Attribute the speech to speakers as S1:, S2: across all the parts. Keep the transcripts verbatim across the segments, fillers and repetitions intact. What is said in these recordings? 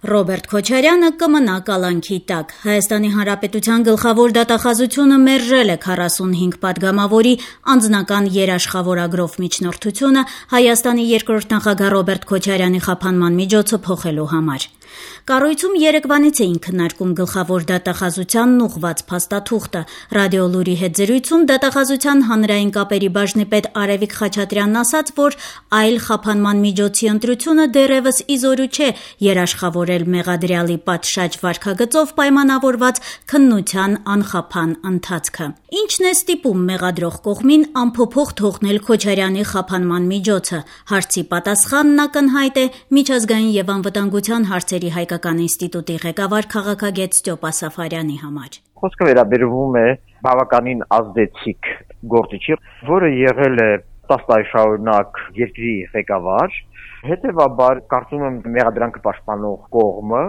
S1: Ռոբերտ Քոչարյանը կմնա կալանքի տակ։ Հայաստանի Հանրապետության գլխավոր դատախազությունը մերժել է քառասունհինգ պատգամավորի անձնական երաշխավորագրով միջնորդությունը Հայաստանի երկրորդ նախագահ Ռոբերտ Քոչարյանի խափանման միջոցը փոխելու համար։ Կառույցում երեկվանից էին քննարկում գլխավոր դատախազությանն ուղղված փաստաթուղթը։ Ռադիոլուրի հետ զրույցում դատախազության հանրային կապերի բաժնի պետ Արևիկ Խաչատրյանն ասաց, որ այլ խափանման միջոցի ընտրությունը դեռևս իզորու չէ երաշխավորել մեղադրյալի պատշաճ վարքագծով պայմանավորված քննության անխափան ընթացքը։ Ինչն է ստիպում մեղադրող կողմին անփոփոխ թողնել Քոչարյանի խափանման միջոցը։ Հարցի պատասխանն ակնհայտ է Միջազգային եւ անվտանգության հարցերի հայկական ինստիտուտի ղեկավար քաղաքագետ Ստյոպա Սաֆարյանի համար։
S2: Խոսքը վերաբերվում է բավականին ազդեցիկ գործիչի, որը եղել է տասը տարի շարունակ երկրի ղեկավար, հետևաբար կարծում եմ մեղադրանքը պաշտպանող կողմը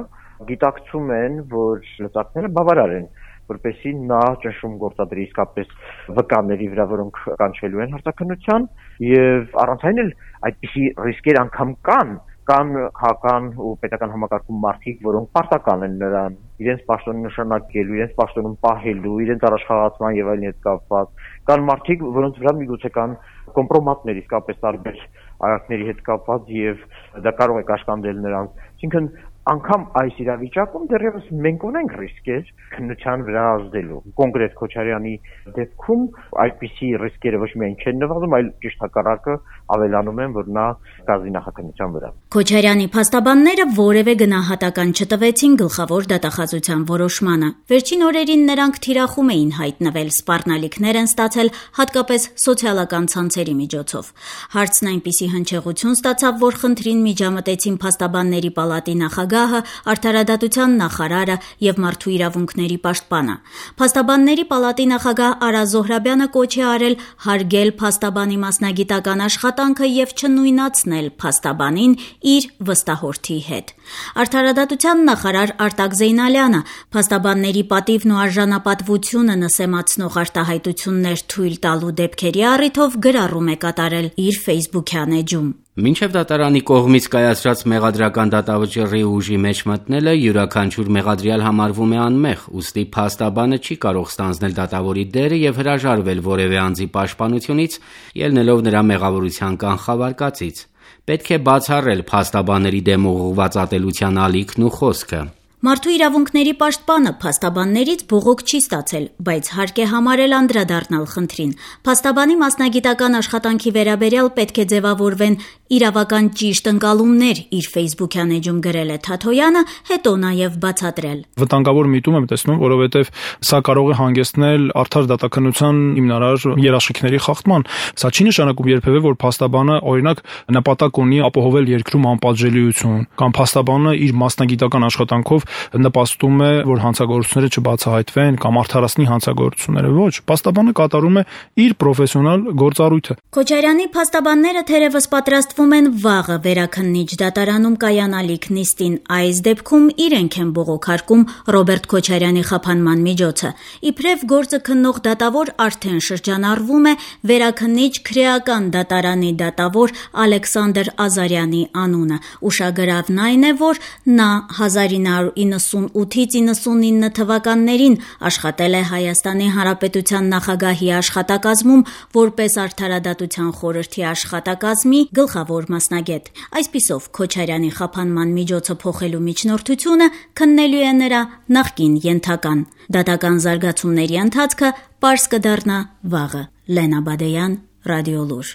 S2: գիտակցում են, որ լծակները բավարար են, որպեսզի նա ճնշում գործադրի իսկապես վկաների վրա, որոնք կանչվելու են հարցաքննության, եւ առանց այն էլ այդպիսի ռիսկեր անգամ կան, կան քաղաքական ու պետական համակարգում մարդիկ, որոնք պարտական են նրան իրենց պաշտոնը նշանակելու, իրենց պաշտոնում պահելու, իրենց առաջխաղացման եւ այլն հետ կապված, կան մարդիկ, որոնց վրա միգուցե կան կոմպրոմատներ իսկապես տարբեր արարքների հետ կապված եւ դա կարող է կաշկանդել նրանց։ Այսինքն անգամ այս իրավիճակում դեռևս մենք ունենք ռիսկեր քննության վրա ազդելու։ Կոնկրետ Քոչարյանի դեպքում այդպիսի ռիսկերը ոչ միայն չեն նվազում, այլ ճիշտ հակառակը ավելանում են, որ նա կազդի նախաքննության վրա։
S1: Քոչարյանի փաստաբանները որևէ գնահատական չտվեցին գլխավոր դատախազության որոշմանը։ Վերջին օրերին նրանք թիրախում էին հայտնվել, սպառնալիքներ են ստացել հատկապես սոցիալական ցանցերի միջոցով։ Հարցն այնպիսի հնչեղություն ստացավ, որ խնդրին միջամտեցին փաստաբանների պալատի նախագահը, արդարադատության նախարարը եւ մարդու իրավունքների պաշտպանը։ Փաստաբանների պալատի նախագահ Արա Զոհրաբյանը կոչ է արել հարգել փաստաբանի մասնագիտական աշխատանքը եւ չնույնացնել փաստաբանին իր վստահորդի հետ։ Արդարադատության նախարար Արտակ Զեյնալյանը փաստաբանների պատիվն ու արժանապատվությունը նսեմացնող արտահայտություններ թույլ տալու դեպքերի առիթով գրառում է կատարել իր ֆեյսբուքյան էջում։
S3: Մինչև դատարանի կողմից կայացրած մեղադրական դատավճիռի ուժի մեջ մտնելը յուրաքանչյուր մեղադրյալ համարվում է անմեղ, ուստի փաստաբանը չի կարող ստանձնել դատավորի դերը եւ հրաժարվել որևէ անձի պաշտպանությունից, ելնելով նրա մեղավորության կանխավարկածից։ Պետք է բացառել փաստաբանների դեմ ուղղված ատելության ալիքն ու խոսքը։
S1: Մարդու իրավունքների պաշտպանը փաստաբաններից բողոք չի ստացել, բայց հարկ է համարել անդրադառնալ խնդրին։ Փաստաբանի մասնագիտական աշխատանքի վերաբերյալ պետք է ձևավորվեն իրավական ճիշտ ընկալումներ, իր ֆեյսբուքյան էջում գրել է Թաթոյանը, հետո նաև բացատրել։
S4: Վտանգավոր միտում եմ տեսնում, որովհետև սա կարող է հանգեցնել արդար դատաքննության հիմնարար երաշխիքների խախտման։ Սա չի նշանակում երբևէ, որ փաստաբանը օրինակ նպատակ ունի ապահովել երկրում անպատժելիություն, կամ փաստաբանը իր մասնագիտական աշխատանքով նպաստում է, որ հանցագործությունները չբացահայտվեն կամ արդարացնի հանցագործությունները։ Ոչ, փաստաբանը կատարում է իր պրոֆեսիոնալ գործառույթը։
S1: Քոչարյանի փաստաբանները թերևս պատրաստվում են վաղը վերաքննիչ դատարանում կայանալիք նիստին։ Այս դեպքում իրենք են բողոքարկում Ռոբերտ Քոչարյանի խափանման միջոցը։ Իբրև գործը քննող դատավոր արդեն շրջանառվում է վերաքննիչ քրեական դատարանի դատավոր Ալեքսանդր Ազարյանի անունը։ Ուշագրավն այն է, որ նա հազար ինը հարյուր իննսունութից իննսունինը թվականներին աշխատել է Հայաստանի Հանրապետության նախագահի աշխատակազմում որպես արդարադատության խորհրդի աշխատակազմի գլխավոր մասնագետ։ Այսպիսով Քոչարյանի խափանման միջոցը փոխելու միջնորդությունը քննելու է նրա նախկին ենթական։ Դատական զարգացումների ընթացքը պարզ կդառնա վաղը։ Լենա Բադեյան, Ռադիոլուր։